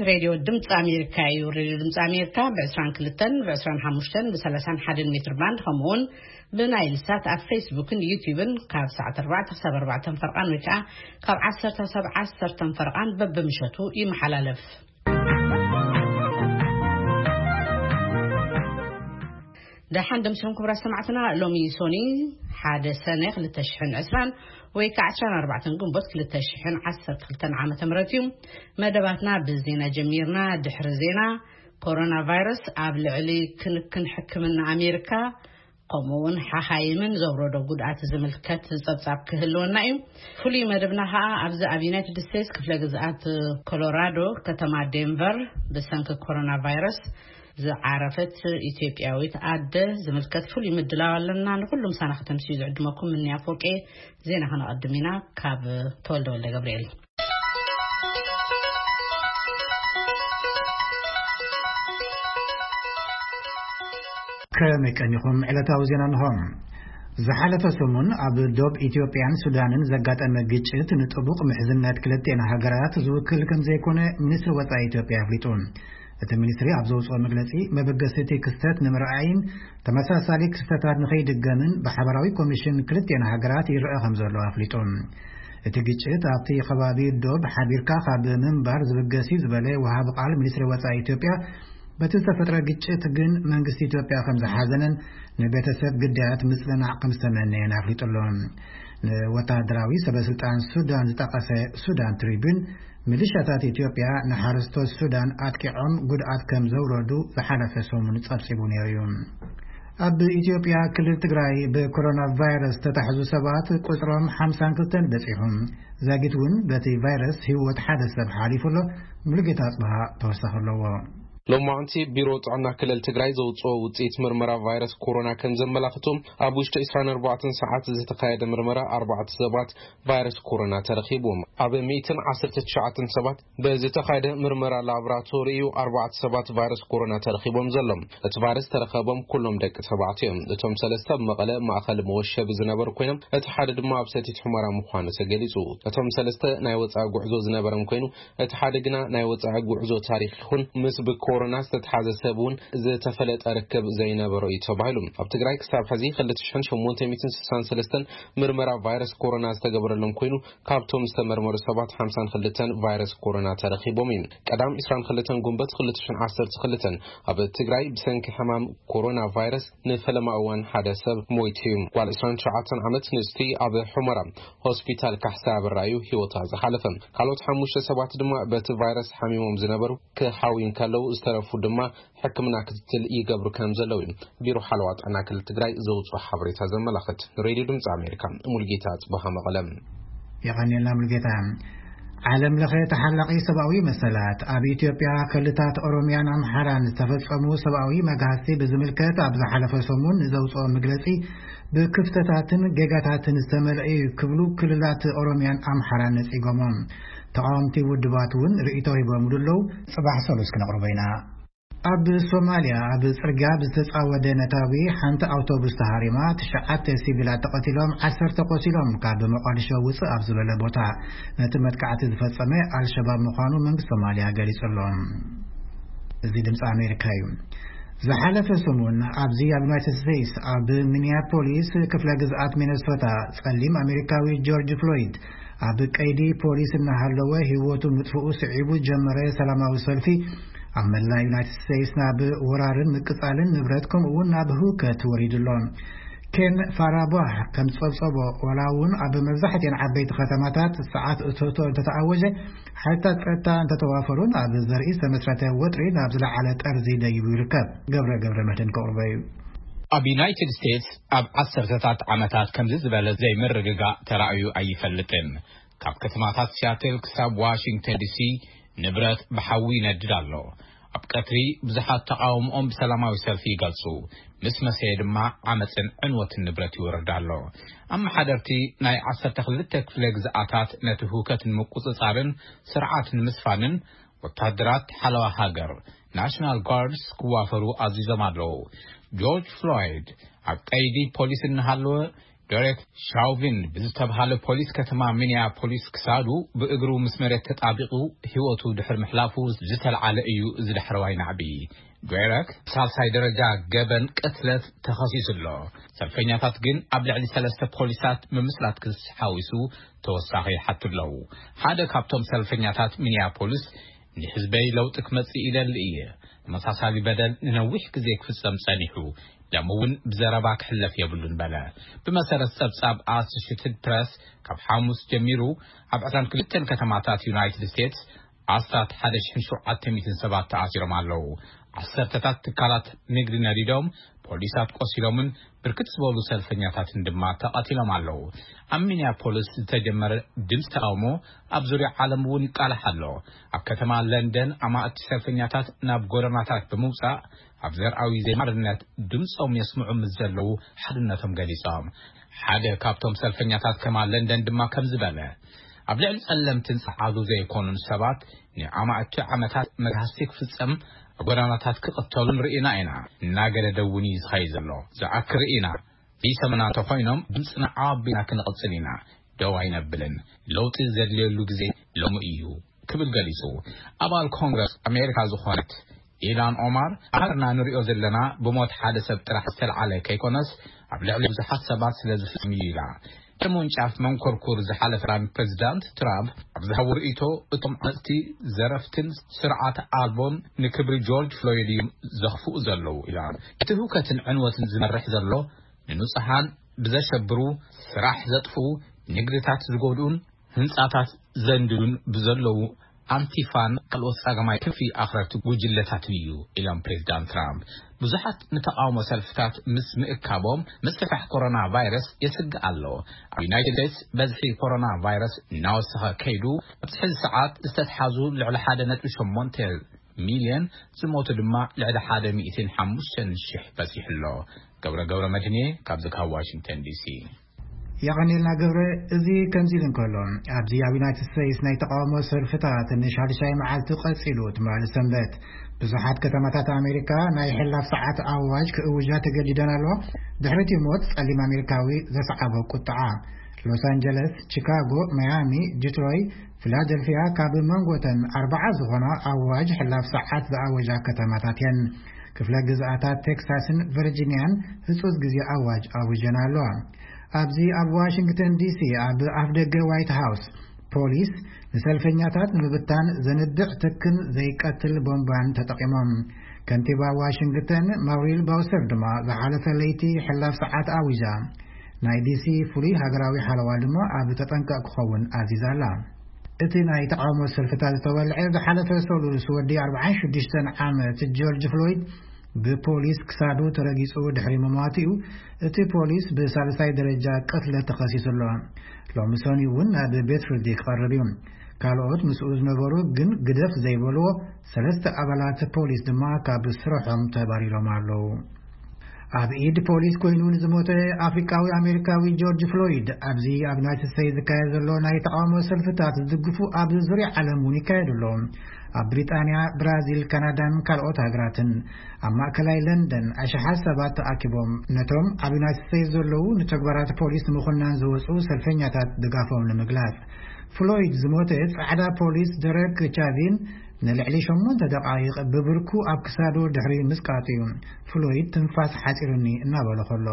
ሬድዮ ድምፂ ኣሜሪካ እዩ። ሬድዮ ድምፂ ኣሜሪካ ብ22፣ ብ25፣ ብ31 ሜትር ባንድ፣ ከምኡውን ብናይል ሳት ኣብ ፌስቡክን ዩቲዩብን ካብ ሰዓት ኣርባዕተ ክሳብ ኣርባዕተ ፈርቓን ወይ ከዓ ካብ ዓሰርተ ክሳብ ዓሰርተ ፈርቓን በብምሸቱ ይመሓላለፍ። ደሓን ደምስኹም ክቡራት ሰማዕትና፣ ሎሚ ሶኒ ሓደ ሰነ ክልተ ሽሕን ዕስራን ወይ ከዓ ዕስራን ኣርባዕተን ግንቦት ክልተ ሽሕን ዓሰርተ ክልተን ዓመተ ምህረት እዩ። መደባትና ብዜና ጀሚርና። ድሕሪ ዜና፣ ኮሮና ቫይረስ ኣብ ልዕሊ ክንክን ሕክምና ኣሜሪካ ከምኡ እውን ሓኻይምን ዘውረዶ ጉድኣት ዝምልከት ጸብጻብ ክህልወና እዩ። ፍሉይ መደብና ኸኣ ኣብዚ ኣብ ዩናይትድ ስቴትስ ክፍለ ግዝኣት ኮሎራዶ ከተማ ዴንቨር ብሰንኪ ኮሮና ቫይረስ ዝዓረፈት ኢትዮጵያዊት ኣደ ዝምልከት ፍሉይ ምድላው ኣለና። ንኹሉ ምሳና ከተምስዩ ዝዕድመኩም ምንያ ፎቄ። ዜና ከነቐድም ኢና ካብ ተወልደ ወልደ ገብርኤል። ከመይ ቀኒኹም? ዕለታዊ ዜና እንሆ። ዝሓለፈ ሰሙን ኣብ ዶብ ኢትዮጵያን ሱዳንን ዘጋጠመ ግጭት ንጥቡቕ ምሕዝነት ክልቴን ሃገራት ዝውክል ከም ዘይኮነ ሚኒስትሪ ወጻኢ ኢትዮጵያ ኣፍሊጡ። እቲ ሚኒስትሪ ኣብ ዘውጽኦ መግለጺ፣ መበገሲ እቲ ክስተት ንምርኣይን ተመሳሳሊ ክስተታት ንኸይድገምን ብሓበራዊ ኮሚሽን ክልቴን ሃገራት ይረአ ከም ዘሎ ኣፍሊጡ። እቲ ግጭት ኣብቲ ከባቢ ዶብ ሓቢርካ ካብ ምንባር ዝብገስ እዩ ዝበለ ወሃቢ ቃል ሚኒስትሪ ወጻኢ ኢትዮጵያ፣ በቲ ዝተፈጥረ ግጭት ግን መንግስቲ ኢትዮጵያ ከም ዝሓዘነን ንቤተሰብ ግዳያት ምጽንናዕ ከም ዝተመነየን ኣፍሊጡ ኣሎ። ንወታደራዊ ሰበስልጣን ሱዳን ዝጠቐሰ ሱዳን ትሪቢዩን፣ ሚሊሻታት ኢትዮጵያ ንሓረስቶት ሱዳን ኣጥቂዖም ጉድኣት ከም ዘውረዱ ዝሓለፈ ሰሙን ጸብጺቡ ነይሩ እዩ። ኣብ ኢትዮጵያ ክልል ትግራይ ብኮሮና ቫይረስ ዝተታሕዙ ሰባት ቁጽሮም ሓምሳን ክልተን በጺሑ። ዛጊት እውን በቲ ቫይረስ ህይወት ሓደ ሰብ ሓሊፉ ኣሎ። ሙሉጌታ ኣጽብሃ ተወሳኺ ኣለዎ። ሎማዕንቲ ቢሮ ጥዕና ክልል ትግራይ ዘውፅኦ ውፅኢት ምርመራ ቫይረስ ኮሮና ከም ዘመላኽቶ፣ ኣብ ውሽጢ ዕስራን ኣርባዕተን ሰዓት ዝተኻየደ ምርመራ ኣርባዕተ ሰባት ቫይረስ ኮሮና ተረኺቡ። ኣብ ሚእትን ዓሰርተ ትሽዓተን ሰባት ብዝተኻየደ ምርመራ ላብራቶሪ እዩ ኣርባዕተ ሰባት ቫይረስ ኮሮና ተረኺቦም ዘሎም። እቲ ቫይረስ ተረኸቦም ኩሎም ደቂ ተባዕትዮ እዮም። እቶም ሰለስተ ኣብ መቐለ ማእኸል መወሸቢ ዝነበሩ ኮይኖም፣ እቲ ሓደ ድማ ኣብ ሰቲት ሑመራ ምዃኑ ተገሊጹ። እቶም ሰለስተ ናይ ወጻኢ ጉዕዞ ዝነበሮም ኮይኑ፣ እቲ ሓደ ግና ናይ ወጻኢ ጉዕዞ ታሪኽ ይኹን ምስ ብኮሮና ዝተትሓዘ ሰብ እውን ዝተፈለጠ ርክብ ዘይነበሮ እዩ ተባሂሉ። ኣብ ትግራይ ክሳብ ሕዚ ክልተ ሽሕን ሸሞንተ ሚእትን ስሳን ሰለስተን ምርመራ ቫይረስ ኮሮና ዝተገበረሎም ኮይኑ፣ ካብቶም ዝተመርመሩ ሰባት ሓምሳን ክልተን ቫይረስ ኮሮና ተረኺቦም እዩ። ቀዳም ዕስራን ክልተን ጉንበት ክልተ ሽሕን ዓሰርተ ክልተን ኣብ ትግራይ ብሰንኪ ሕማም ኮሮና ቫይረስ ንፈለማ እዋን ሓደ ሰብ ሞይቱ እዩ። ጓል ዕስራን ትሽዓተን ዓመት ንእስቲ ኣብ ሑመራ ሆስፒታል ካሕሳ ብራዩ ህይወታ ዝሓለፈ። ካልኦት ሓሙሽተ ሰባት ድማ በቲ ቫይረስ ሓሚሞም ዝነበሩ ክሓውዩ እንከለዉ፣ ዝተረፉ ድማ ሕክምና ክትትል ይገብሩ ከም ዘለዉ እዩ ቢሮ ሓለዋ ጥዕና ክልል ትግራይ ዘውፅኦ ሓበሬታ ዘመላኽት። ንሬድዮ ድምፂ ኣሜሪካ፣ ሙልጌታ ጽቡሃ፣ መቐለ። የቐንየልና ሙልጌታ። ዓለም ለኸ ተሓላቒ ሰብኣዊ መሰላት ኣብ ኢትዮጵያ ክልታት ኦሮሚያን ኣምሓራን ዝተፈጸሙ ሰብኣዊ መግሃስቲ ብዝምልከት ኣብ ዝሓለፈ ሰሙን ንዘውፅኦ መግለጺ፣ ብክፍተታትን ጌጋታትን ዝተመልአ እዩ ክብሉ ክልላት ኦሮሚያን ኣምሓራን ነጺጎሞም። ተቓወምቲ ውድባት እውን ርእይቶ ሂቦምሉ ኣለዉ። ጽባሕ ሰሉስ ክነቕርቦ ኢና። ኣብ ሶማልያ ኣብ ጽርግያ ብዝተጻወደ ነታጒ ሓንቲ ኣውቶቡስ ተሃሪማ፣ ትሽዓተ ሲቪላት ተቐቲሎም፣ ዓሰርተ ቆሲሎም። ካብ መቋድሾ ውጽእ ኣብ ዝበለ ቦታ ነቲ መጥቃዕቲ ዝፈጸመ ኣልሸባብ ምዃኑ መንግስቲ ሶማልያ ገሊጹ ኣሎ። እዚ ድምፂ ኣሜሪካ እዩ። ዝሓለፈ ሰሙን ኣብዚ ኣብ ዩናይትድ ስቴትስ ኣብ ሚኒያፖሊስ ክፍለ ግዝኣት ሚነሶታ ጸሊም ኣሜሪካዊ ጆርጅ ፍሎይድ ኣብ ቀይዲ ፖሊስ እናሃለወ ህይወቱ ምጥፍኡ ስዒቡ ጀመረ ሰላማዊ ሰልፊ ኣብ መላእ ዩናይትድ ስቴትስ ናብ ወራርን ምቅጻልን ንብረት ከምኡ እውን ናብ ህውከት ወሪዱ ኣሎ። ኬን ፋራቧህ ከም ዝጸብጸቦ፣ ዋላ እውን ኣብ መብዛሕትኤን ዓበይቲ ከተማታት ሰዓት እቶቶ እንተተኣወጀ፣ ሓይልታት ጸጥታ እንተተዋፈሩን ኣብ ዘርኢ ዝተመስረተ ወጥሪ ናብ ዝለዓለ ጠርዚ ደይቡ ይርከብ። ገብረ ገብረ መድህን ከቕርቦ እዩ። ኣብ ዩናይትድ ስቴትስ ኣብ ዓሰርተታት ዓመታት ከምዚ ዝበለ ዘይምርግጋእ ተራእዩ ኣይፈልጥን። ካብ ከተማታት ሲያትል ክሳብ ዋሽንግተን ዲሲ ንብረት ብሓዊ ይነድድ ኣሎ። ኣብ ቀትሪ ብዙሓት ተቓውሞኦም ብሰላማዊ ሰልፊ ይገልጹ፣ ምስ መሰየ ድማ ዓመጽን ዕንወትን ንብረት ይወርድ ኣሎ። ኣመሓደርቲ ናይ ዓሰርተ ክልተ ክፍለ ግዝኣታት ነቲ ህውከት ንምቁጽጻርን ስርዓት ንምስፋንን ወታደራት ሓለዋ ሃገር፣ ናሽናል ጋርድስ፣ ክዋፈሩ ኣዚዞም ኣለዉ። ጆርጅ ፍሎይድ ኣብ ቀይዲ ፖሊስ እናሃለወ ዶሬክ ሻውቪን ብዝተብሃለ ፖሊስ ከተማ ሚኒያፖሊስ ክሳዱ ብእግሩ ምስ መሬት ተጣቢቑ ህይወቱ ድሕሪ ምሕላፉ ዝተልዓለ እዩ። እዚ ዳሕረዋይ ናዕቢ ዶሬክ ሳልሳይ ደረጃ ገበን ቅትለት ተኸሲሱ ኣሎ። ሰልፈኛታት ግን ኣብ ልዕሊ ሰለስተ ፖሊሳት ምምስላት ክስ ሓዊሱ ተወሳኺ ይሓቱ ኣለዉ። ሓደ ካብቶም ሰልፈኛታት ሚኒያፖሊስ፣ "ንህዝበይ ለውጢ ክመጽእ ይደሊ እየ። ተመሳሳሊ በደል ንነዊሕ ግዜ ክፍጸም ጸኒሑ፣ ደም እውን ብዘረባ ክሕለፍ የብሉን" በለ። ብመሰረት ጸብጻብ ኣሶሽትድ ፕረስ፣ ካብ ሓሙስ ጀሚሩ ኣብ ዕስራን ክልተን ከተማታት ዩናይትድ ስቴትስ ኣስታት ሓደ ሽሕን ሸውዓተ ሚእትን ሰባት ተኣሲሮም ኣለዉ። ዓሰርተታት ትካላት ንግዲ ነዲዶም፣ ፖሊሳት ቆሲሎምን ብርክት ዝበሉ ሰልፈኛታትን ድማ ተቐቲሎም ኣለዉ። ኣብ ሚኒያፖሊስ ዝተጀመረ ድምፂ ተቃውሞ ኣብ ዙርያ ዓለም እውን ይቃላሕ ኣሎ። ኣብ ከተማ ለንደን ኣማእቲ ሰልፈኛታት ናብ ጎደናታት ብምውፃእ ኣብ ዘርኣዊ ዘይማርነት ድምፆም የስምዑ ምስ ዘለዉ ሓድነቶም ገሊፆም። ሓደ ካብቶም ሰልፈኛታት ከማ ለንደን ድማ ከምዚ በለ፣ "ኣብ ልዕሊ ጸለምትን ጸዓዱ ዘይኮኑን ሰባት ንኣማእቲ ዓመታት መግሃስቲ ክፍጸም፣ ኣብ ጎዳናታት ክቕተሉን ርኢና ኢና። እናገደደ እውን እዩ ዝኸይድ ዘሎ። ዝኣክር ርኢና። ዘይሰምና እንተኾይኖም ድምፅና ዓቢና ክንቕጽል ኢና። ደው ኣይነብልን። ለውጢ ዘድልየሉ ግዜ ሎሚ እዩ" ክብል ገሊጹ። ኣባል ኮንግረስ ኣሜሪካ ዝኾነት ኢላን ኦማር፣ "ኣርና ንሪኦ ዘለና ብሞት ሓደ ሰብ ጥራሕ ዝተልዓለ ከይኮነስ ኣብ ልዕሊ ብዙሓት ሰባት ስለ ዝፍጸም እዩ" ኢላ። ንምውንጫፍ መንኮርኩር ዝሓለፈ ፕሬዚዳንት ትራምፕ ኣብ ዝሃቦ ርእይቶ፣ "እቶም ዓመፅቲ ዘረፍትን ስርዓት ኣልቦን ንክብሪ ጆርጅ ፍሎይድ እዮም ዘኽፍኡ ዘለዉ" ኢላ። "እቲ ህውከትን ዕንወትን ዝመርሕ ዘሎ ንንጹሃን ብዘሸብሩ፣ ስራሕ ዘጥፍኡ፣ ንግድታት ዝጎድኡን ህንጻታት ዘንድዱን ብዘለዉ ኣንቲፋን ካልኦት ጸገማይ ክንፊ ኣኽረርቲ ጉጅለታትን እዩ" ኢሎም ፕሬዚዳንት ትራምፕ። ብዙሓት ንተቃውሞ ሰልፍታት ምስ ምእካቦም ምስፍሕፋሕ ኮሮና ቫይረስ የስግእ ኣሎ። ኣብ ዩናይትድ ስቴትስ በዝሒ ኮሮና ቫይረስ እናወሰኸ ከይዱ፣ ኣብዚ ሕዚ ሰዓት ዝተትሓዙ ልዕሊ ሓደ ነጥቢ ሸሞንተ ሚልዮን፣ ዝሞቱ ድማ ልዕሊ ሓደ ሚእትን ሓሙሽተን ሽሕ በጺሑ ኣሎ። ገብረ ገብረ መድህንየ ካብዚ ካብ ዋሽንግተን ዲሲ። የቐኔልና ገብረ። እዚ ከምዚ ኢሉ እንከሎ፣ ኣብዚ ኣብ ዩናይትድ ስቴትስ ናይ ተቃውሞ ሰልፍታት ንሻድሻይ መዓልቲ ቀጺሉ። ትማሊ ሰንበት ብዙሓት ከተማታት ኣሜሪካ ናይ ሕላፍ ሰዓት ኣዋጅ ክእውጃ ተገዲደን ኣለዋ፣ ድሕሪ እቲ ሞት ጸሊም ኣሜሪካዊ ዘስዓቦ ቁጥዓ። ሎስ ኣንጀለስ፣ ቺካጎ፣ ማያሚ፣ ዲትሮይ፣ ፊላደልፊያ ካብ መንጎተን ኣርባዓ ዝኾና ኣዋጅ ሕላፍ ሰዓት ዝኣወጃ ከተማታት እየን። ክፍለ ግዝኣታት ቴክሳስን ቨርጂኒያን ህጹጽ ግዜ ኣዋጅ ኣውጀን ኣለዋ። ኣብዚ ኣብ ዋሽንግተን ዲሲ ኣብ ኣፍደገ ዋይት ሃውስ ፖሊስ ንሰልፈኛታት ንምብታን ዘንብዕ ትክን ዘይቀትል ቦምባን ተጠቒሞም። ከንቲባ ዋሽንግተን ማውሪል ባውሰር ድማ ዝሓለፈ ለይቲ ሕላፍ ሰዓት ኣዊጃ። ናይ ዲሲ ፍሉይ ሃገራዊ ሓለዋ ድማ ኣብ ተጠንቀቕ ክኸውን ኣዚዛ ኣላ። እቲ ናይ ተቃውሞ ሰልፍታት ዝተወልዐ ዝሓለፈ ሰሉስ ወዲ ኣርባዓን ሽዱሽተን ዓመት ጆርጅ ፍሎይድ ብፖሊስ ክሳዱ ተረጊጹ ድሕሪ ምሟቱ እዩ። እቲ ፖሊስ ብሳልሳይ ደረጃ ቅትለት ተኸሲሱ ኣሎ። ሎሚ ሰኑይ እውን ናብ ቤት ፍርዲ ክቐርብ እዩ። ካልኦት ምስኡ ዝነበሩ ግን ግደፍ ዘይበልዎ ሰለስተ ኣባላት ፖሊስ ድማ ካብ ስርሖም ተባሪሮም ኣለዉ። ኣብ ኢድ ፖሊስ ኮይኑ ንዝሞተ ኣፍሪቃዊ ኣሜሪካዊ ጆርጅ ፍሎይድ ኣብዚ ኣብ ዩናይትድ ስቴትስ ዝካየድ ዘሎ ናይ ተቃውሞ ሰልፍታት ዝድግፉ ኣብ ዙርያ ዓለም እውን ይካየዱ ኣለዉ። ኣብ ብሪጣንያ፣ ብራዚል፣ ካናዳን ካልኦት ሃገራትን ኣብ ማእከላይ ለንደን ኣሽሓት ሰባት ተኣኪቦም ነቶም ኣብ ዩናይትድ ስቴትስ ዘለዉ ንተግባራት ፖሊስ ንምኹናን ዝወጹ ሰልፈኛታት ድጋፎም ንምግላጽ። ፍሎይድ ዝሞተ ጻዕዳ ፖሊስ ደረክ ቻቪን ንልዕሊ ሸሞንተ ደቓይቕ ብብርኩ ኣብ ክሳዱ ድሕሪ ምስቃጡ እዩ ፍሎይድ ትንፋስ ሓጺሩኒ እናበለ ከሎ።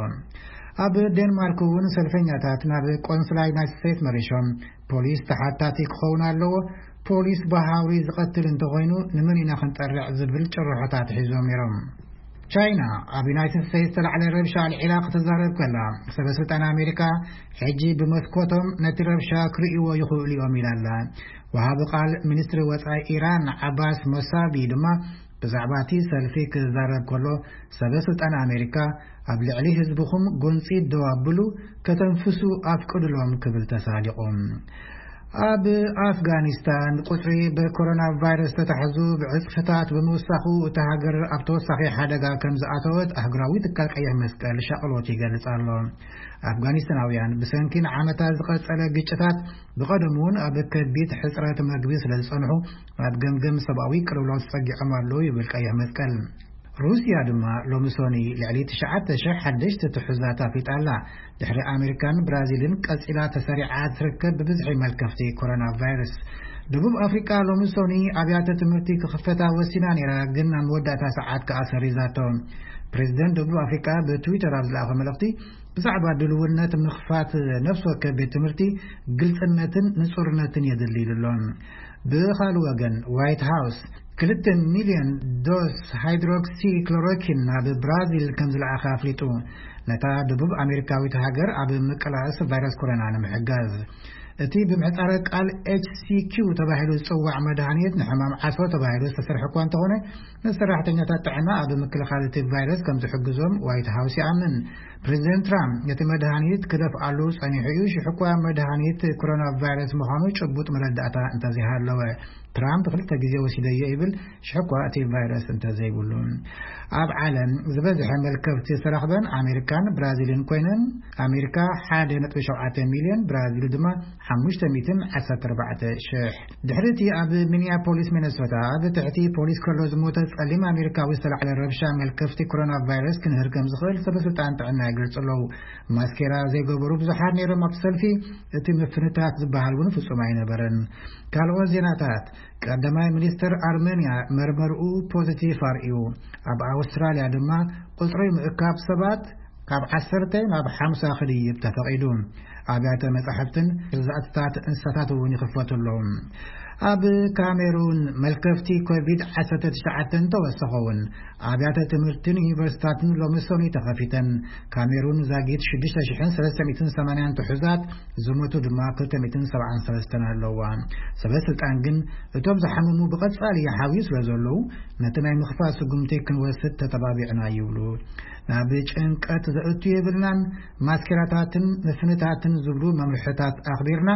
ኣብ ዴንማርክ እውን ሰልፈኛታት ናብ ቆንስላ ዩናይትድ ስቴትስ መሪሾም፣ "ፖሊስ ተሓታቲ ክኸውን ኣለዎ፣ ፖሊስ ብሃውሪ ዝቐትል እንተኾይኑ ንመን ኢና ክንጠርዕ?" ዝብል ጭርሖታት ሒዞም ነይሮም። ቻይና ኣብ ዩናይትድ ስቴትስ ዝተላዕለ ረብሻ ኣልዒላ ክትዛረብ ከላ፣ ሰበ ስልጣን ኣሜሪካ ሕጂ ብመስኮቶም ነቲ ረብሻ ክርእይዎ ይኽእሉ እዮም ኢላ ኣላ። ወሃቢ ቃል ሚኒስትሪ ወጻኢ ኢራን ዓባስ ሞሳቢ ድማ ብዛዕባ እቲ ሰልፊ ክዛረብ ከሎ፣ ሰበ ስልጣን ኣሜሪካ ኣብ ልዕሊ ህዝብኹም ጎንጺ ደው ኣብሉ፣ ከተንፍሱ ኣፍቅድሎም ክብል ተሳሊቑ። ኣብ ኣፍጋኒስታን ቁጽሪ ብኮሮና ቫይረስ ተታሕዙ ብዕጽፍታት ብምውሳኹ፣ እታ ሃገር ኣብ ተወሳኺ ሓደጋ ከም ዝኣተወት ኣህጉራዊ ትካል ቀይሕ መስቀል ሻቕሎት ይገልጽ ኣሎ። ኣፍጋኒስታናውያን ብሰንኪ ንዓመታት ዝቐጸለ ግጭታት፣ ብቐደሙ እውን ኣብ ከቢድ ሕጽረት መግቢ ስለ ዝጸንሑ፣ ኣብ ገምገም ሰብኣዊ ቅልውላው ተጸጊዖም ኣለዉ ይብል ቀይሕ መስቀል። ሩስያ ድማ ሎሚ ሶኒ ልዕሊ ትሽዓተ ሽሕ ሓደሽቲ ትሑዛት ኣፍሊጣ ኣላ። ድሕሪ ኣሜሪካን ብራዚልን ቀጺላ ተሰሪዓ ትርከብ ብብዝሒ መልከፍቲ ኮሮና ቫይረስ። ደቡብ ኣፍሪቃ ሎሚ ሶኒ ኣብያተ ትምህርቲ ክኽፈታ ወሲና ነይራ፣ ግን ኣብ መወዳእታ ሰዓት ከኣ ሰሪዛቶ። ፕሬዚደንት ደቡብ ኣፍሪቃ ብትዊተር ኣብ ዝለኣኸ መልእኽቲ፣ ብዛዕባ ድልውነት ምኽፋት ነፍሲ ወከፍ ቤት ትምህርቲ ግልጽነትን ንጹርነትን የድሊ ኢሉ ኣሎ። ብኻልእ ወገን፣ ዋይት ሃውስ ክልተ ሚልዮን ዶስ ሃይድሮክሲክሎሮኪን ናብ ብራዚል ከም ዝለኣኸ ኣፍሊጡ፣ ነታ ደቡብ ኣሜሪካዊት ሃገር ኣብ ምቅላስ ቫይረስ ኮሮና ንምሕጋዝ። እቲ ብምህጻረ ቃል ኤች ሲ ኪው ተባሂሉ ዝጽዋዕ መድሃኒት ንሕማም ዓሶ ተባሂሉ ዝተሰርሐ እኳ እንተኾነ፣ ንሰራሕተኛታት ጥዕና ኣብ ምክልኻል እቲ ቫይረስ ከም ዝሕግዞም ዋይት ሃውስ ይኣምን። ፕሬዚደንት ትራምፕ ነቲ መድሃኒት ክደፍኣሉ ጸኒሑ እዩ፣ ሽሕ እኳ መድሃኒት ኮሮና ቫይረስ ምዃኑ ጭቡጥ መረዳእታ እንተዘይሃለወ። ትራምፕ ክልተ ግዜ ወሲደዮ ይብል፣ ሽሕ እኳ እቲ ቫይረስ እንተዘይብሉ። ኣብ ዓለም ዝበዝሐ መልከፍቲ ዝተረኽበን ኣሜሪካን ብራዚልን ኮይነን፣ ኣሜሪካ ሓደ ነጥቢ ሸውዓተ ሚልዮን፣ ብራዚል ድማ ሓሙሽተ ሚእትን ዓሰርተ ኣርባዕተ ሽሕ። ድሕሪ እቲ ኣብ ሚኒያፖሊስ ሚነሶታ ኣብ ትሕቲ ፖሊስ ከሎ ዝሞተ ጸሊም ኣሜሪካዊ ዝተላዕለ ረብሻ፣ መልከፍቲ ኮሮና ቫይረስ ክንህር ከም ዝኽእል ሰበ ስልጣን ጥዕና ይገልጹ ኣለዉ። ማስኬራ ዘይገበሩ ብዙሓት ነይሮም ኣብቲ ሰልፊ። እቲ ምፍንታት ዝበሃል እውን ፍጹም ኣይነበረን። ካልኦት ዜናታት፣ ቀዳማይ ሚኒስተር ኣርመንያ መርመርኡ ፖዚቲቭ ኣርእዩ። ኣብ ኣውስትራልያ ድማ ቁጽሪ ምእካብ ሰባት ካብ ዓሰርተ ናብ ሓምሳ ክድይብ ተፈቒዱ። ኣብያተ መጻሕፍትን ገዛእትታት እንስሳታት እውን ይኽፈቱ ኣለዉ። ኣብ ካሜሩን መልከፍቲ ኮቪድ ዓሰርተ ትሽዓተ እንተወሰኸ እውን፣ ኣብያተ ትምህርትን ዩኒቨርሲታትን ሎሚ ሰኑይ ተኸፊተን። ካሜሩን ዛጊት ሽዱሽተ ሽሕን ሰለስተ ሚእትን ሰማንያን ትሑዛት፣ ዝሞቱ ድማ ክልተ ሚእትን ሰብዓን ሰለስተን ኣለዋ። ሰበ ስልጣን ግን እቶም ዝሓመሙ ብቐጻሊ ይሓውዩ ስለ ዘለዉ፣ ነቲ ናይ ምኽፋት ስጉምቲ ክንወስድ ተተባቢዕና ይብሉ። ናብ ጭንቀት ዘእቱ የብልናን፣ ማስኬራታትን ምፍንታትን ዝብሉ መምርሕታት ኣኽቢርና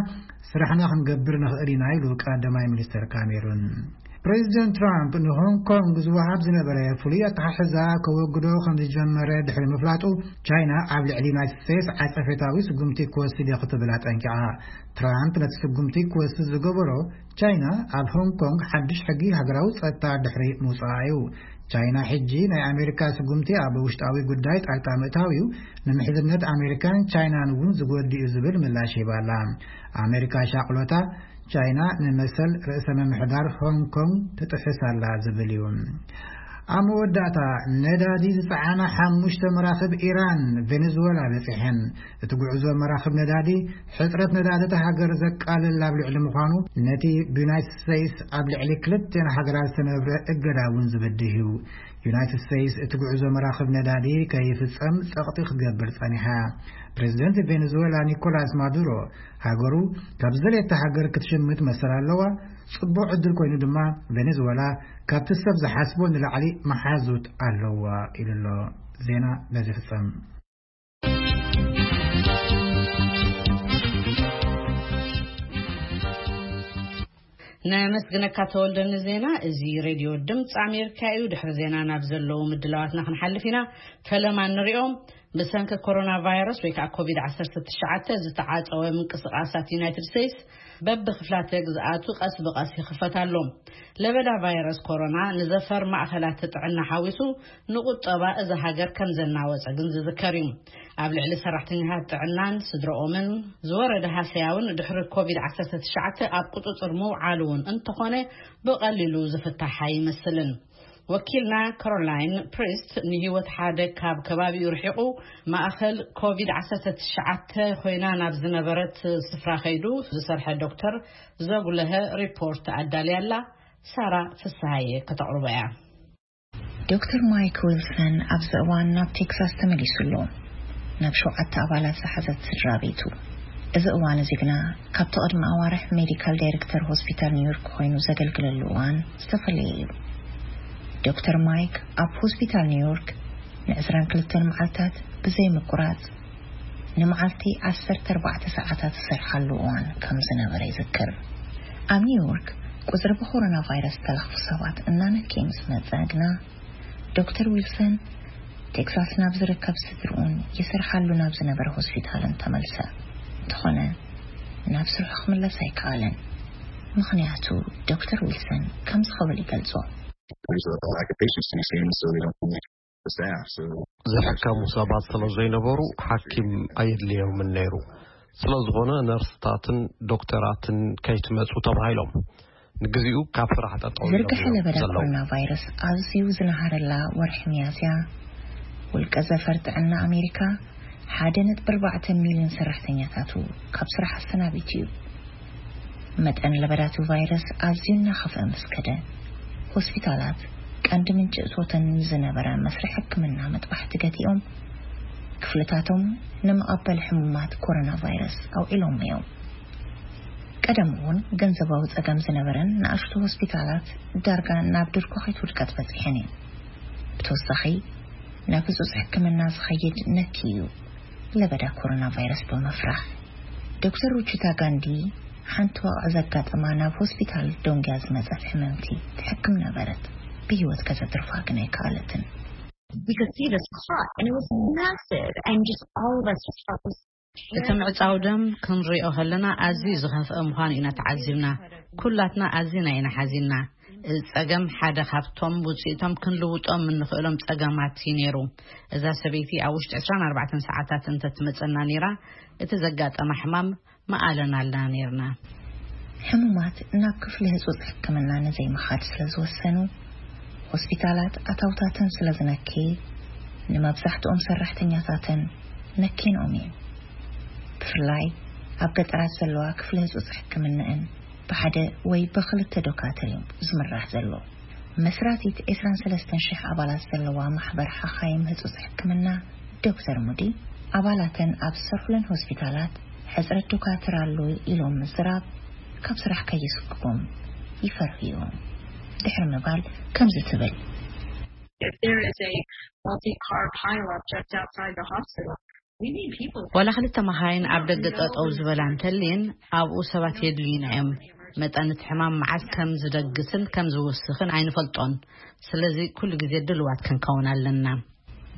ስራሕና ክንገብር ንኽእል ኢና ኢሉ ቀዳማይ ሚኒስተር ካሜሩን። ፕሬዚደንት ትራምፕ ንሆንግ ኮንግ ዝወሃብ ዝነበረ ፍሉይ ኣተሓሕዛ ከወግዶ ከም ዝጀመረ ድሕሪ ምፍላጡ፣ ቻይና ኣብ ልዕሊ ዩናይትድ ስቴትስ ዓጸፌታዊ ስጉምቲ ክወስድ እየ ክትብል ኣጠንቂቓ። ትራምፕ ነቲ ስጉምቲ ክወስድ ዝገበሮ፣ ቻይና ኣብ ሆንግ ኮንግ ሓድሽ ሕጊ ሃገራዊ ጸጥታ ድሕሪ ምውጻኣ እዩ። ቻይና ሕጂ ናይ ኣሜሪካ ስጉምቲ ኣብ ውሽጣዊ ጉዳይ ጣልቃ ምእታው እዩ፣ ንምሕዝነት ኣሜሪካን ቻይናን እውን ዝጎድእ እዩ ዝብል ምላሽ ሂባ ኣላ። ኣሜሪካ ሻቕሎታ ቻይና ንመሰል ርእሰ ምምሕዳር ሆንግ ኮንግ ትጥሕስ ኣላ ዝብል እዩ። ኣብ መወዳእታ፣ ነዳዲ ዝጸዓና ሓሙሽተ መራኽብ ኢራን ቬኔዙዌላ በጺሐን። እቲ ጉዕዞ መራኽብ ነዳዲ፣ ሕጽረት ነዳዲ እታ ሃገር ዘቃልል ኣብ ልዕሊ ምዃኑ፣ ነቲ ብዩናይትድ ስቴትስ ኣብ ልዕሊ ክልቲአን ሃገራት ዝተነብረ እገዳ እውን ዝበድህ እዩ። ዩናይትድ ስቴትስ እቲ ጉዕዞ መራኽብ ነዳዲ ከይፍጸም ጸቕጢ ክትገብር ጸኒሓ። ፕሬዚደንት ቬኔዙዌላ ኒኮላስ ማዱሮ፣ ሃገሩ ካብ ዝደለየታ ሃገር ክትሽምት መሰል ኣለዋ። ጽቡቕ ዕድል ኮይኑ ድማ፣ ቬኔዙዌላ ካብቲ ሰብ ዝሓስቦ ንላዕሊ መሓዙት ኣለዋ ኢሉ ኣሎ። ዜና በዚ ፍጸም። ነመስግነካ ተወልደ ንዜና። እዚ ሬድዮ ድምፂ ኣሜሪካ እዩ። ድሕሪ ዜና ናብ ዘለዉ ምድላዋትና ክንሓልፍ ኢና። ፈለማ ንሪኦም። ብሰንኪ ኮሮና ቫይረስ ወይ ከዓ ኮቪድ ዓሰርተ ትሽዓተ ዝተዓፀወ ምንቅስቃሳት ዩናይትድ ስቴትስ በብክፍላተ ግዝኣቱ ቀስ ብቀስ ይኽፈት ኣሎ። ለበዳ ቫይረስ ኮሮና ንዘፈር ማእኸላት ጥዕና ሓዊሱ ንቁጠባ እዛ ሃገር ከም ዘናወፀ ግን ዝዝከር እዩ። ኣብ ልዕሊ ሰራሕተኛታት ጥዕናን ስድረኦምን ዝወረደ ሃሰያ እውን ድሕሪ ኮቪድ ዓሰርተ ትሽዓተ ኣብ ቁፅፅር ምውዓሉ እውን እንተኾነ ብቐሊሉ ዝፍታሕ ኣይመስልን። ወኪልና ካሮላይን ፕሪስት ንህይወት ሓደ ካብ ከባቢኡ ርሒቑ ማእኸል ኮቪድ ዓሰርተ ትሽዓተ ኮይና ናብ ዝነበረት ስፍራ ከይዱ ዝሰርሐ ዶክተር ዘጉለሀ ሪፖርት ኣዳልያ ኣላ። ሳራ ፍስሃየ ከተቕርቦ እያ። ዶክተር ማይክ ዊልሰን ኣብዚ እዋን ናብ ቴክሳስ ተመሊሱ ኣሎ። ናብ ሸውዓተ ኣባላት ዝሓዘት ስድራ ቤቱ። እዚ እዋን እዚ ግና ካብቲ ቅድሚ ኣዋርሕ ሜዲካል ዳይሬክተር ሆስፒታል ኒውዮርክ ኮይኑ ዘገልግለሉ እዋን ዝተፈለየ እዩ። ዶክተር ማይክ ኣብ ሆስፒታል ኒውዮርክ ንዕስራን ክልተን መዓልታት ብዘይ ምቁራጽ ንመዓልቲ ዓሰርተ ኣርባዕተ ሰዓታት ዝሰርሓሉ እዋን ከም ዝነበረ ይዝክር። ኣብ ኒውዮርክ ቁጽሪ ብኮሮና ቫይረስ ዝተለኽፉ ሰባት እናነከየ ምስ መጸ ግና ዶክተር ዊልሰን ቴክሳስ ናብ ዝርከብ ስድርኡን ይሰርሓሉ ናብ ዝነበረ ሆስፒታልን ተመልሰ። እንተኾነ ናብ ስርሑ ክምለስ ኣይከኣለን። ምኽንያቱ ዶክተር ዊልሰን ከምዚ ክብል ይገልጾ። There's a lack of patients to be seen, so they don't need the staff. So ዝሕከሙ ሰባት ስለ ዘይነበሩ ሓኪም ኣየድልዮምን ነይሩ። ስለ ዝኾነ ነርስታትን ዶክተራትን ከይትመጹ ተባሂሎም ንግዚኡ ካብ ስራሕ ጠጠው ኢሎም ዝርግሐ እዮም ለበዳ ዘለዉ። ኮሮና ቫይረስ ኣዝዩ ዝነሃረላ ወርሒ ሚያዝያ፣ ውልቀ ዘፈር ጥዕና ኣሜሪካ ሓደ ነጥቢ ኣርባዕተ ሚልዮን ሰራሕተኛታቱ ካብ ስራሕ ኣሰናቢቱ እዩ። መጠን ለበዳቱ ቫይረስ ኣዝዩ እናኸፍአ ምስ ከደ፣ ሆስፒታላት ቀንዲ ምንጪ እቶተን ዝነበረ መስርሕ ሕክምና መጥባሕቲ ገቲኦም፣ ክፍልታቶም ንመቐበል ሕሙማት ኮሮና ቫይረስ ኣውዒሎም እዮም። ቀደም እውን ገንዘባዊ ጸገም ዝነበረን ንኣሽቱ ሆስፒታላት ዳርጋ ናብ ድርኮኺት ውድቀት በጺሐን እየን። ብተወሳኺ ናብ ህጹጽ ሕክምና ዝኸይድ ነኪ እዩ ለበዳ ኮሮና ቫይረስ ብምፍራሕ። ዶክተር ሩቺታ ጋንዲ ሓንቲ ዋቕዕ ዘጋጠማ ናብ ሆስፒታል ዶንግያ ዝመጸት ሕምምቲ ትሕክም ነበረት። ብህይወት ከተትርፋ ግን ኣይከኣለትን። You could see this clot, and it was massive, and just all of us just felt this እቲ ምዕጻው ደም ክንሪኦ ከለና ኣዝዩ ዝኸፍአ ምዃኑ ኢና ተዓዚብና። ኩላትና ኣዝና ኢና ሓዚንና። እዚ ጸገም ሓደ ካብቶም ውጽኢቶም ክንልውጦም እንኽእሎም ጸገማት እዩ ነይሩ። እዛ ሰበይቲ ኣብ ውሽጢ ዕስራን ኣርባዕተን ሰዓታት እንተትመጸና ነይራ፣ እቲ ዘጋጠማ ሕማም መኣለናልና ነይርና። ሕሙማት ናብ ክፍሊ ህጹጽ ሕክምና ንዘይምኻድ ስለ ዝወሰኑ፣ ሆስፒታላት ኣታውታተን ስለ ዝነኬ፣ ንመብዛሕትኦም ሰራሕተኛታተን ነኬንኦም እየን። ብፍላይ ኣብ ገጠራት ዘለዋ ክፍሊ ህጹጽ ሕክምናእን ብሓደ ወይ ብኽልተ ዶካትር እዮም ዝምራሕ ዘሎ። መስራቲት ዕስራን ሰለስተን ሽሕ ኣባላት ዘለዋ ማሕበር ሓኻይም ህጹጽ ሕክምና ዶክተር ሙዲ፣ ኣባላተን ኣብ ዝሰርሑለን ሆስፒታላት ሕጽረት ዶካትር ኣሎ ኢሎም ምዝራብ ካብ ስራሕ ከየስግቦም ይፈርሁ እዮም። ድሕሪ ምባል ከምዚ ትብል። If there is a multi-car pileup just outside the hospital, we need people. ዋላ ክልተ መኻይን ኣብ ደገ ጠጠው ዝበላ እንተልየን፣ ኣብኡ ሰባት የድልዩና እዮም። መጠን እቲ ሕማም መዓስ ከም ዝደግስን ከም ዝውስኽን ኣይንፈልጦን። ስለዚ ኩሉ ግዜ ድልዋት ክንከውን ኣለና።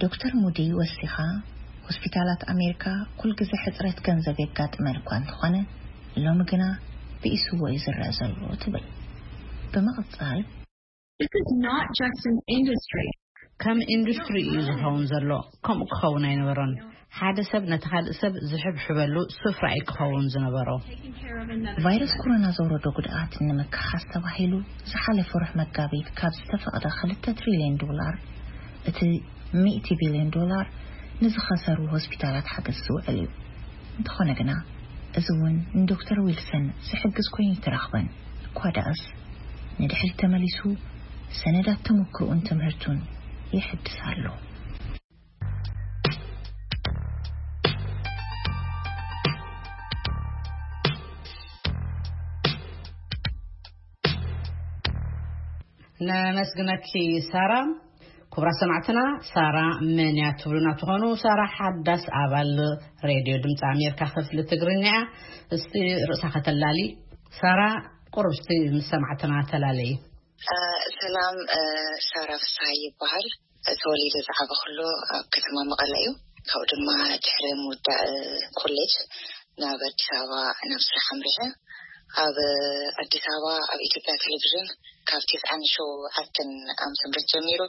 ዶክተር ሙዲ ወሲኻ፣ ሆስፒታላት ኣሜሪካ ኩልግዜ ሕጽረት ገንዘብ የጋጥመን እኳ እንተኾነ፣ ሎሚ ግና ብኢስዎ እዩ ዝረአ ዘሎ ትብል። ብምቕጻል፣ This is not just an industry. ከም ኢንዱስትሪ እዩ ዝኸውን ዘሎ። ከምኡ ክኸውን ኣይነበሮን። ሓደ ሰብ ነቲ ካልእ ሰብ ዝሕብሕበሉ ስፍራ እዩ ክኸውን ዝነበሮ። ቫይረስ ኮሮና ዘውረዶ ጉድኣት ንምክሓስ ተባሂሉ ዝሓለፈ ወርሒ መጋቢት ካብ ዝተፈቕደ ክልተ ትሪልዮን ዶላር፣ እቲ ሚእቲ ቢልዮን ዶላር ንዝኸሰሩ ሆስፒታላት ሓገዝ ዝውዕል እዩ። እንተኾነ ግና፣ እዚ እውን ንዶክተር ዊልሰን ዝሕግዝ ኮይኑ ኣይተረኽበን። እኳ ደኣስ፣ ንድሕሪት ተመሊሱ ሰነዳት ተመክሮኡን ትምህርቱን ይሕድስ ኣሎ። ነመስግነኪ ሳራ። ክቡራት ሰማዕትና፣ ሳራ መን እያ ትብሉና ትኾኑ? ሳራ ሓዳስ ኣባል ሬድዮ ድምፂ ኣሜሪካ ክፍሊ ትግርኛ እያ። እስቲ ርእሳ ከተላሊ። ሳራ፣ ቁሩብ እስቲ ምስ ሰማዕትና ተላለይ። እ፣ ሰላም፣ እ፣ ሳራ ፍስሃ ይበሃል። ተወሊደ ዝዓበኹሉ ኣብ ከተማ መቐለ እዩ። ካብኡ ድማ ድሕሪ ምውዳእ ኮሌጅ ናብ ኣዲስ ኣበባ ናብ ስራሕ ኣምሪሐ። ኣብ ኣዲስ ኣበባ ኣብ ኢትዮጵያ ቴሌቪዥን ካብ ትስዓን ሸውዓተን ዓመተ ምህረት ጀሚሩ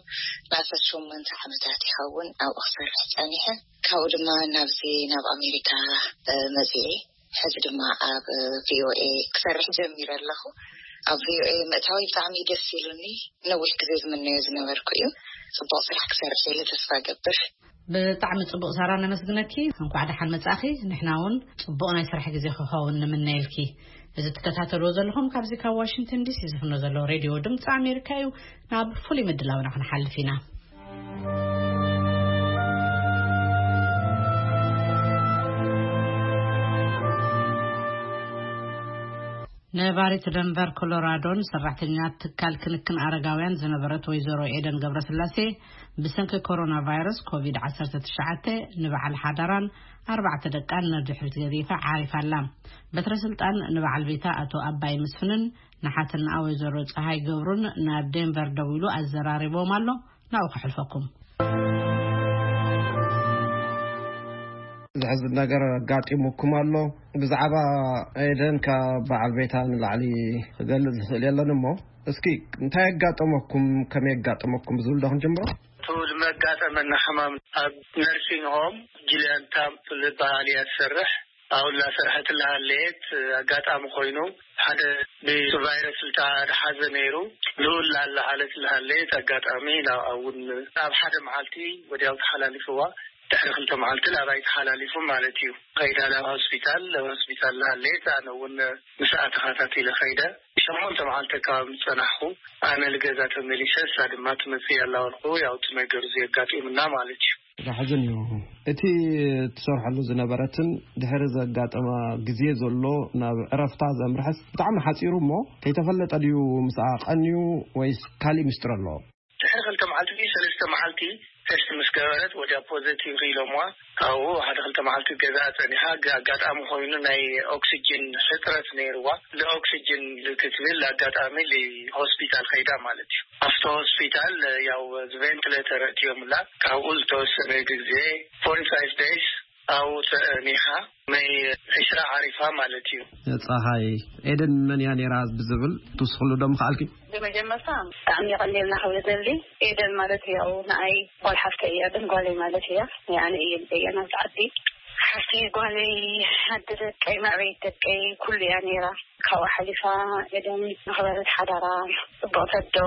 ንኣስታት ሸሞንተ ዓመታት ይኸውን ኣብኡ ክሰርሕ ጸኒሐ። ካብኡ ድማ ናብዚ ናብ ኣሜሪካ፣ እ፣ መጺኤ። ሕዚ ድማ ኣብ ቪኦኤ ክሰርሕ ጀሚረ ኣለኹ። ኣብ ቪኦኤ ምእታወይ ብጣዕሚ ደስ ኢሉኒ። ነዊሕ ግዜ ዝምነዮ ዝነበርኩ እዩ። ጽቡቕ ስራሕ ክሰርሕ ኢለ ተስፋ እገብር። ብጣዕሚ ጽቡቕ ሳራ፣ ነመስግነኪ። እንኳዕ ደሓን መጻእኺ። ንሕና እውን ጽቡቕ ናይ ስራሕ ግዜ ክኸውን ንምነየልኪ። እዚ ትከታተልዎ ዘለኹም ካብዚ ካብ ዋሽንግተን ዲሲ ዝፍኖ ዘሎ ሬድዮ ድምፂ ኣሜሪካ እዩ። ናብ ፍሉይ ምድላውና ክንሓልፍ ኢና። ነባሪት ደንቨር ኮሎራዶን ሰራሕተኛ ትካል ክንክን ኣረጋውያን ዝነበረት ወይዘሮ ኤደን ገብረስላሴ ብሰንኪ ኮሮና ቫይረስ ኮቪድ ዓሰርተ ትሽዓተ ንበዓል ሓዳራን ኣርባዕተ ደቃን ንድሕሪት ገዲፋ ዓሪፋ ኣላ። በትረ ስልጣን ንበዓል ቤታ ኣቶ ኣባይ መስፍንን ንሓትንኣ ወይዘሮ ፀሃይ ገብሩን ናብ ዴንቨር ደዊሉ ኣዘራሪቦም ኣሎ። ናብኡ ከሕልፈኩም። ዝሕዝን ነገር ኣጋጢሙኩም ኣሎ። ብዛዕባ ኤደን ካብ በዓል ቤታ ንላዕሊ ክገልጽ ዝኽእል የለን እሞ፣ እስኪ እንታይ ኣጋጠመኩም፣ ከመይ ኣጋጠመኩም ዝብል ዶ ክንጅምሮ? እቲ ዝመጋጠመና ሕማም፣ ኣብ ነርሲንግ ሆም ጂሊያን ታምፕ ዝበሃል እያ ትሰርሕ። ኣብኡ እናሰርሐት እናሃለየት ኣጋጣሚ ኮይኑ፣ ሓደ ብቫይረስ ዝተሓዘ ነይሩ። ልኡል ላለ ዓለት እናሃለየት ኣጋጣሚ ናብኣ እውን ኣብ ሓደ መዓልቲ ወዲያው ተሓላሊፍዋ። ድሕሪ ክልተ መዓልቲ ናባይ ተሓላሊፉ ማለት እዩ። ከይዳ ናብ ሆስፒታል፣ ናብ ሆስፒታል እናሃለየት ኣነ እውን ምስኣ ተኸታቲለ ከይደ። ሸሞንተ መዓልቲ ኣከባቢ ዝጸናሕኩ፣ ኣነ ልገዛ ተመሊሰ፣ እሳ ድማ ትመጽእ ኣላ በልኩ። ያው እቲ ነገር እዚ ኣጋጢሙና ማለት እዩ። ዘሕዝን እዩ። እቲ ትሰርሐሉ ዝነበረትን ድሕሪ ዘጋጠማ ግዜ ዘሎ ናብ ዕረፍታ ዘምርሐስ ብጣዕሚ ሓጺሩ እሞ፣ ከይተፈለጠ ድዩ ምስኣ ቀንዩ ወይስ ካሊእ ምስጢር ኣለዎ? ድሕሪ ክልተ መዓልቲ ድዩ ሰለስተ መዓልቲ ቴስት ምስ ገበረት፣ ወዲያ ፖዘቲቭ ኢሎምዋ። ካብኡ ሓደ ክልተ መዓልቲ ገዛ ጸኒሓ። ግ-፣ ኣጋጣሚ ኮይኑ ናይ ኦክሲጅን ሕጽረት ነይርዋ። ንኦክሲጅን ክትብል ኣጋጣሚ ሆስፒታል ከይዳ ማለት እዩ። ኣብቲ ሆስፒታል ያው ቬንትሌተር እትዮምላ። ካብኡ ዝተወሰነ ግዜ፣ ፎርቲ ፋይቭ ደይስ፣ ኣብኡ ጸኒሓ። መይ ዕስራ ዓሪፋ ማለት እዩ። ጸሃይ፣ ኤደን መን እያ ነይራ ብዝብል ትውስኽሉ ዶ ምኽኣልኪ? ብመጀመርታ ብጣዕሚ የቐንየልና ክብል ደሊ። ኤደን ማለት ያው ንኣይ ጓል ሓፍተይ እያ፣ ግን ጓለይ ማለት እያ። ኣነ እየ ልደያ ናብቲ ዓዲ። ሓፍተይ ጓለይ፣ ኣደ ደቀይ፣ መዕበይት ደቀይ፣ ኩሉ እያ ነይራ። ካብኡ ሓሊፋ ኤደን መኽበሪት ሓዳራ፣ ጽቡቕ ተዶ፣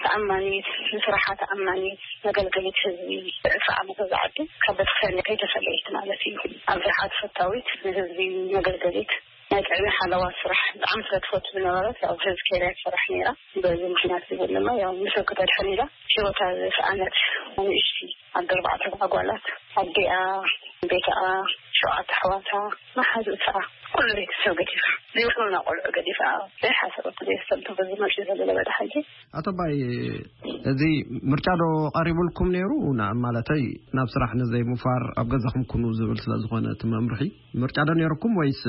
ተኣማኒት፣ ንስራሓ ተኣማኒት፣ መገልገሊት ህዝቢ፣ ዕስራ ዓመት እዛ ዓዲ ካብ ቤተክርስትያን ከይተፈለየት ማለት እዩ። ኣብ ስራሓ ተፈታዊት፣ ንህዝቢ መገልገሊት፣ ናይ ጥዕና ሓለዋ ስራሕ ብጣዕሚ ስለ ትፈቱ ዝነበረት፣ ያው ህዝቢ ኬርያ ትሰርሕ ነይራ። በዚ ምኽንያት እዚ ድማ ያው ንሰብ ከተድሕን ኢላ ህይወታ ዝሰኣነት ንእሽቲ ኣደ ኣርባዕተ ኣጓላት፣ ኣዴኣ፣ ቤተኣ፣ ሸውዓተ ኣሕዋታ፣ መሓዙእታ፣ ኩሉ ቤተሰብ ገዲፋ፣ ዘይብሉና ቆልዑ ገዲፋ፣ ዘይሓሰበቶ ዘይስተንተቦ ዝመጽእ ዘሎ ለበዳ ሕጂ። ኣቶ ኣባይ፣ እዚ ምርጫ ዶ ቀሪቡልኩም ነይሩ? ና-፣ ማለተይ፣ ናብ ስራሕ ንዘይምፋር ኣብ ገዛኹም ኩኑ ዝብል ስለ ዝኾነ እቲ መምርሒ፣ ምርጫ ዶ ነይርኩም ወይስ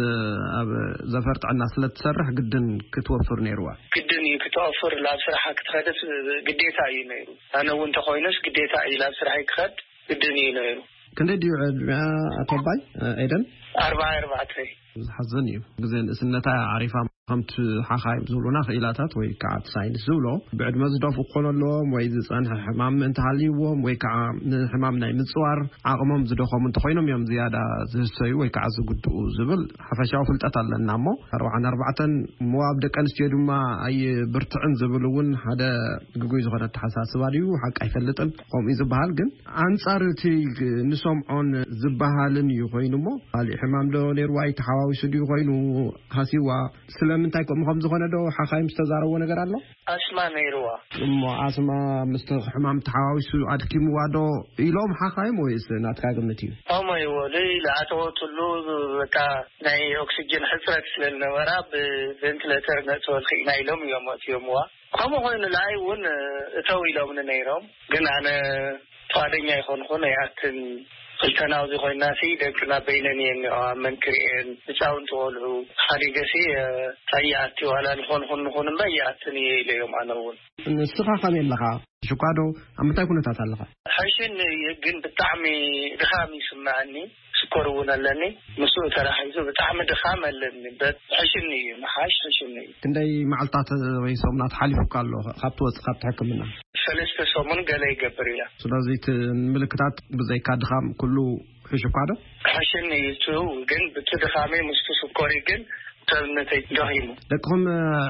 ኣብ ዘፈር ጥዕና ስለ ትሰርሕ ግድን ክትወፍር ነይርዋ? ግድን እዩ ክትወፍር፣ ናብ ስራሓ ክትኸደስ ግዴታ እዩ ነይሩ። ኣነ እውን እንተኾይኑስ ግዴታ እዩ ናብ ስራሐይ ክኸድ፣ ግድን እዩ ነይሩ። ክንደይ ድዩ ዕድሚኣ ኣቶ ኣባይ፣ ኤደን? ኣርባዓ ኣርባዕተ። ዝሓዝን እዩ። ግዜ ንእስነታ ዓሪፋ፣ ከምቲ ሓኻይም ዝብሉና ክኢላታት ወይ ከዓ እቲ ሳይንስ ዝብሎ፣ ብዕድመ ዝደፍኡ ክኾኑ ኣለዎም ወይ ዝጸንሐ ሕማም እንተሃልይዎም ወይ ከዓ ንሕማም ናይ ምጽዋር ዓቕሞም ዝደኸሙ እንተኾይኖም እዮም ዝያዳ ዝህሰዩ ወይ ከዓ ዝጉድኡ ዝብል ሓፈሻዊ ፍልጠት ኣለና። እሞ ኣርባዓን ኣርባዕተን እሞ ኣብ ደቂ ኣንስትዮ ድማ ኣይብርትዕን ዝብል እውን ሓደ ግጉይ ዝኾነ ኣተሓሳስባ ድዩ? ሓቂ ኣይፈልጥን። ከምኡ እዩ ዝበሃል። ግን ኣንጻር እቲ ንሰምዖን ዝበሃልን እዩ ኮይኑ እሞ፣ ካሊእ ሕማም ዶ ነይርዋ? ተሓዋዊሱ ድዩ ኮይኑ ሃሲዋ? ስለምንታይ ከምኡ ከም ዝኾነ ዶ ሓኻይም ዝተዛረብዎ ነገር ኣሎ? ኣስማ ነይርዋ። እሞ ኣስማ ምስቲ ሕማም ተሓዋዊሱ ኣድኪምዋ ዶ ኢሎም ሓኻይም ወይስ ናትካ ግምት እዩ? ከምኡ ይበሉ፣ ዝኣተወትሉ በቃ ናይ ኦክሲጅን ሕፅረት ስለ ዝነበራ ብቬንትሌተር ነእትወልኪ ኢና ኢሎም እዮም ኣእትዮምዋ። ከምኡ ኮይኑ ንዓይ እውን እተው ኢሎምኒ ነይሮም፣ ግን ኣነ ፍቓደኛ ኣይኮንኩን፣ ኣይኣትን። ክልተ ናብዚ ኮይና ሲ ደቅና በይነን እየን እኒኦ፣ ኣብ መንክርኤን ህፃውንቲ ቆልዑ ሓዲገ ሲ፣ እ፣ ኣይኣቲ ዋላ ዝኾንኩን ንኹን እምበር ኣይኣትን እየ ኢለ እዮም ኣነ እውን። ንስኻ ከመይ ኣለኻ? ሽኳ ዶ? ኣብ ምንታይ ኩነታት ኣለኻ? ሕሽኒ እዩ፣ ግን ብጣዕሚ ድኻም ይስምዐኒ። ስኮር እውን ኣለኒ። ምስኡ ተራሒሱ ብጣዕሚ ድኻም ኣለኒ። በት-፣ ሕሽኒ እዩ፣ ምሓሽ ሕሽኒ እዩ። ክንደይ መዓልታት ወይ ሰሙናት ሓሊፉካ ኣሎ ካብ ትወጽእ ካብቲ ሕክምና? ሰለስተ ሰሙን ገለ ይገብር እያ። ስለዚ እቲ ምልክታት ብዘይካ ድኻም ኩሉ ሕሹካ ዶ? ሕሽኒ እዩ፣ እሱ ግን ብቲ ድኻመይ ምስቲ ስኮሪ ግን ሰብነተይ ደኺሙ። ደቅኹም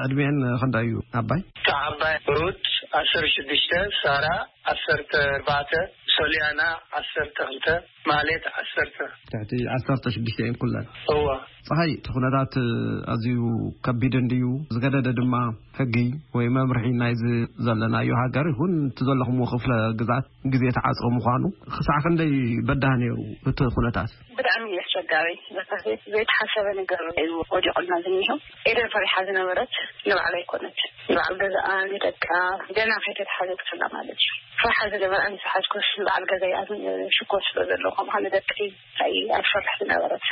ዕድሜአን ክንደይ እዩ ኣባይ? እታ ዓባይ ሩት ዓሰርተ ሽዱሽተ፣ ሳራ ዓሰርተ ኣርባዕተ፣ ሶልያና ዓሰርተ ክልተ፣ ማለት ዓሰርተ። ትሕቲ ዓሰርተ ሽዱሽተ እየን ኩለን። እዋ። ፀሃይ፣ እቲ ኩነታት ኣዝዩ ከቢድ እንድዩ፣ ዝገደደ ድማ ሕጊ ወይ መምርሒ ናይዚ ዘለናዮ ሃገር ይኹን እቲ ዘለኹምዎ ክፍለ ግዝኣት ግዜ ተዓፅኦ ምዃኑ ክሳዕ ክንደይ በዳህ ነይሩ እቲ ኩነታት? ብጣዕሚ እዩ ኣስቸጋሪ። ዘይተሓሰበ ነገር እዩ ወዲቑና ዝኒሆ። ኤደን ፈሪሓ ዝነበረት ንባዕላ ኣይኮነት፣ ንበዓል ገዛኣ፣ ንደቃ፣ ገና ከይተተሓዘት ከላ ማለት እዩ። ፍርሓ ዝነበራ ንስሓትኩስ ንበዓል ገዛይ ኣብ ሽኮር ስለ ዘለኹም፣ ንደቀይ እንታይ ኣብ ፈርሕ ዝነበረት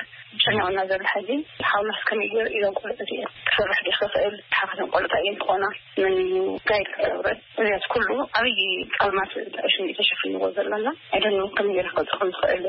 ጨኒቑና ዘሎ ሕዚ ሓውናስ ከመይ ገይሩ ኢሎም ቆልዑ እዚኦም ክሰርሕ ዶ ክኽእል? ሓኻቶም ቆልዑ እንታይ እዮም ክኾና? መን እዩ ጋይድ ክገብረን? እዚያት ኩሉ ዓብዪ ጸልማት ሽኒ ተሸፊንዎ ዘለና። ኣይደን ከመይ ገይረ ክገልጾ ከም ዝኽእል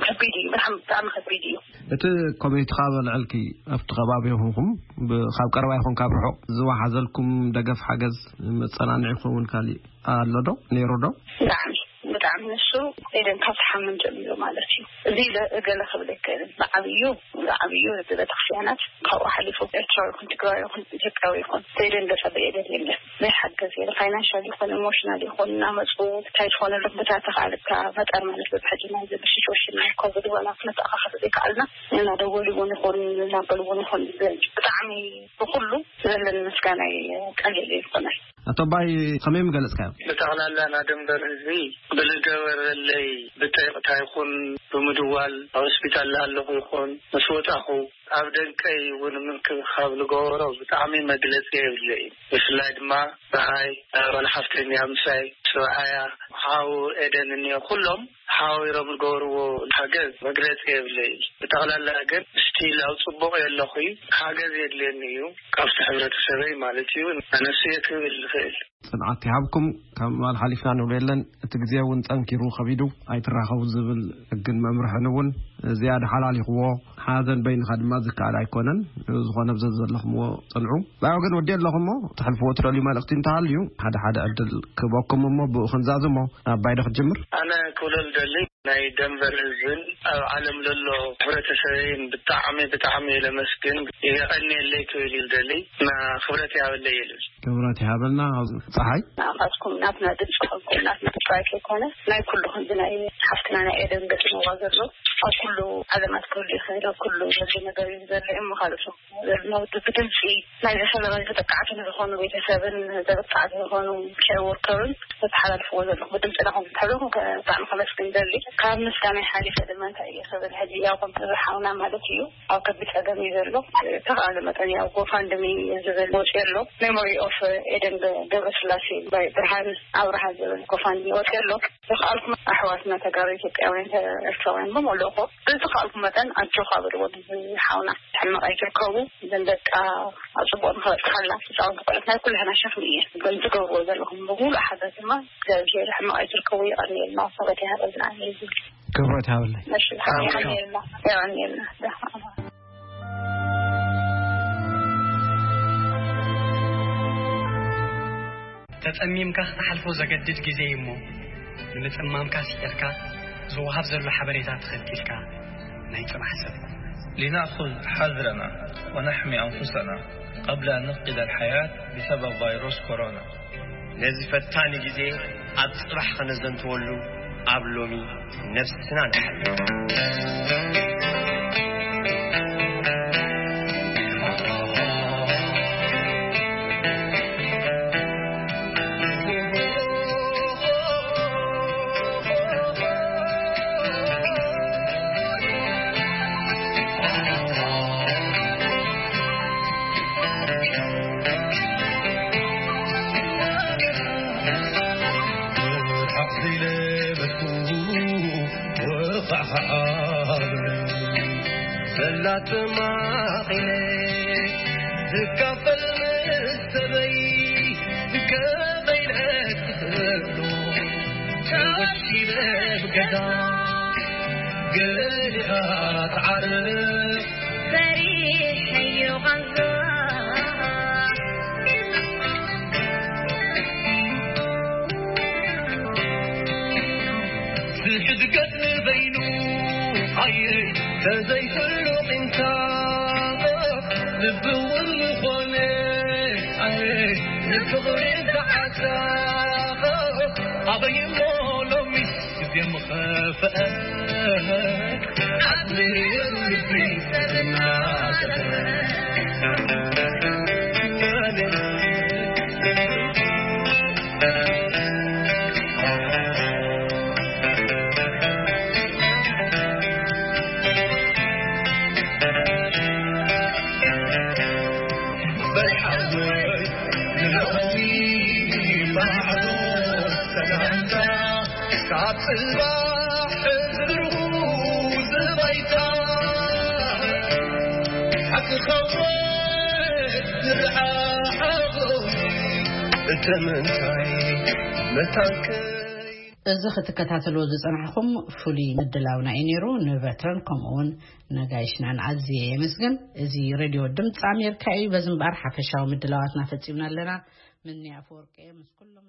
ከቢድ እዩ። ብጣዕሚ፣ ብጣዕሚ ከቢድ እዩ። እቲ ኮሚቴኻ በልዕልኪ ኣብቲ ከባቢ ይኹንኩም ብ-፣ ካብ ቀረባ ይኹን ካብ ርሑቕ ዝወሓዘልኩም ደገፍ ሓገዝ መጸናንዒ ክኸውን ካልእ ኣሎ ዶ? ነይሩ ዶ? ብጣዕሚ፣ ብጣዕሚ ንሱ ኤደን ካብ ዝሓምን ጀሚሩ ማለት እዩ። እዚ ኢለ እገለ ክብል ኣይክእልን። ብዓብዩ፣ ብዓብዩ እዚ ቤተክርስትያናት ካብኡ ሓሊፉ ኤርትራዊ ይኹን ትግራዊ ይኹን ኢትዮጵያዊ ይኹን ኤደን ዘጸበየ ኤደን የለን። ናይ ሓገዝ የለ፣ ፋይናንሻል ይኹን ኢሞሽናል ይኹን እናመፁ እንታይ ዝኾነሉ ቦታ ተኻልካ መጠር ማለት በብሕጂ ናይ ዘብ ሲቹዌሽን ናይ ኮቪድ ዋላ ክነተኣኻኸብ ዘይከኣልና እናደወሉ እውን ይኹን እናበሉ እውን ይኹን ብጣዕሚ ብኩሉ ዘለኒ ምስጋና እዩ ቀሊል ይኮነ። ኣቶ ኣባይ ከመይ ምገለጽካዮ? ብጠቕላላ ናደንበር ህዝቢ ብልገበረለይ ብጠይቕታ ይኹን ብምድዋል ኣብ ሆስፒታል ኣለኹ ይኹን ምስ ወጣኹ ኣብ ደንቀይ እውን ምንክብኻብ ልገበሮ ብጣዕሚ መግለጺ የብለይ። ብፍላይ ድማ ብሃይ፣ ጓል ሓፍተይ እኒኣ ምሳይ፣ ስብኣያ፣ ሓው ኤደን እኒኦ፣ ኩሎም ሓዋዊሮም ዝገበርዎ ሓገዝ መግለጺ የብለይ። ብጠቕላላ ግን ስቲል ኣብ ጽቡቕ የለኹ እዩ። ሓገዝ የድልየኒ እዩ ካብቲ ሕብረተሰበይ ማለት እዩ። ኣነሱ እየ ክብል ዝኽእል። ጽንዓት ይሃብኩም። ካብ ምባል ሓሊፍና ንብሎ የለን። እቲ ግዜ እውን ጸንኪሩ ከቢዱ ኣይትራኸቡ ዝብል ሕግን መምርሕን እውን ዝያዳ ሓላሊኽዎ። ሓዘን በይንኻ ድማ ዝከኣል ኣይኮነን። ዝኾነ ብዘ ዘለኹምዎ ጽንዑ። ብኣይ ወገን ወዲ ኣለኹም እሞ፣ ተሕልፍዎ ትደልዩ መልእኽቲ እንተሃልዩ፣ ሓደ ሓደ ዕድል ክህበኩም እሞ፣ ብኡ ክንዛዝሞ። ኣባይ ዶ ክትጅምር? ኣነ ክብሎ ዝደሊ፣ ናይ ደንበር ህዝብን ኣብ ዓለም ለሎ ሕብረተሰበይን ብጣዕሚ፣ ብጣዕሚ እየ ለመስግን። የቐንየለይ ክብል እዩ ዝደሊ። እና ክብረት ይሃበለይ ይብል። ክብረት ይሃበልና። ጸሓይ? ንኣኻትኩም ናትና ድምፂ ኮንኩም ናትና ጥራይ ከይኮነ ናይ ኩሉ ክንዲ ናይ ሓፍትና ናይ ኤደን ገጢምዋ ዘሎ ኣብ ኩሉ ዓለማት ክህሉ ይኽእል፣ ኣብ ኩሉ ዘሎ ነገር እዩ ዘሎ እሞ ካልኦት ዘለና ውድብ ብድምፂ ናይ ዝፈለመ ተጠቃዕቲ ንዝኾኑ ቤተሰብን ተጠቃዕቲ ዝኾኑ ኬር ወርከርን ዘተሓላልፍዎ ዘለኹ ብድምፅና ከም ዝትሕሉ ብጣዕሚ ከመስግን ደሊ። ካብ ምስጋና ሓሊፈ ድማ እንታይ እየ ክብል ሕጂ ያው ከም ዝሓውና ማለት እዩ ኣብ ከቢድ ጸገም እዩ ዘሎ። ተኸኣለ መጠን ያው ጎፋንድሚ ዝብል ወፂ ኣሎ። ሜሞሪ ኦፍ ኤደን ገብረስላሴ ብርሃን ኣብርሃ ዝብል ጎፋንድሚ ወፂ ኣሎ። ዝኸኣልኩም ኣሕዋትና ተጋሩ ኢትዮጵያውያን ኤርትራውያን ብምልእኹ ብዝኸኣልኩም መጠን ኣጆኻ በልዎ። ሓውና ሕመቕ ኣይትርከቡ። እዘን ደቃ ኣብ ጽቡቕ ንኸበጽሓላ ህፃውንቲ ቆልዑት ናይ ኩላህና ሸኽሚ እየ። ግን ትገብርዎ ዘለኹም ብምሉእ ሓገዝ ድማ እግዚኣብሔር ሕመቕ ኣይትርከቡ። የቐንየልና። ሰበት ይሃበልና። ክብረት ይሃበለይ። እሺ፣ የቐንየልና። የቐንየልና። ተጸሚምካ ክትሓልፎ ዘገድድ ግዜ እዩ እሞ፣ ንምጽማምካ ስዒርካ ዝወሃብ ዘሎ ሓበሬታ ተኸቲልካ ናይ ጽባሕ ሰብ። لنأخذ حذرنا ونحمي أنفسنا قبل أن نفقد الحياة بسبب فيروس كورونا. ነዚ ፈታኒ ግዜ ኣብ ጽባሕ ከነዘንትወሉ ኣብ ሎሚ ነብስና ንሓልፍ። ዘላትማኺነ ዝካፈል ምስ ሰበይ ከመይ ኢለ ክኽእሎ ተወሲነ ብገዛ ገሊኣ ትዓርፍ ፈሪሐዮ ቃንዛ። ዝሕድገት ንበይኑ ኣየ ተዘይፍሉ ቂምታ ልቢ እውን ዝኾነ ኣየ ንፍቕሪ ዝዓሳ ኣበይ እሞ ሎሚስ ግዜ ምኸፍአ ካብ ጽባሕ ብሩህ ዝባይታ ሓቂ ኸወት ዝረሓቕ እተመንታይ መታንከይ እዚ ክትከታተልዎ ዝጸናሕኩም ፍሉይ ምድላውና እዩ ነይሩ። ንበትረን ከምኡ እውን ነጋይሽናን ኣዝየ የመስግን። እዚ ሬድዮ ድምፂ ኣሜሪካ እዩ። በዚ እምበኣር ሓፈሻዊ ምድላዋትና ፈጺምና ኣለና። ምኒ ኣፈወርቂ ምስ ኩሎም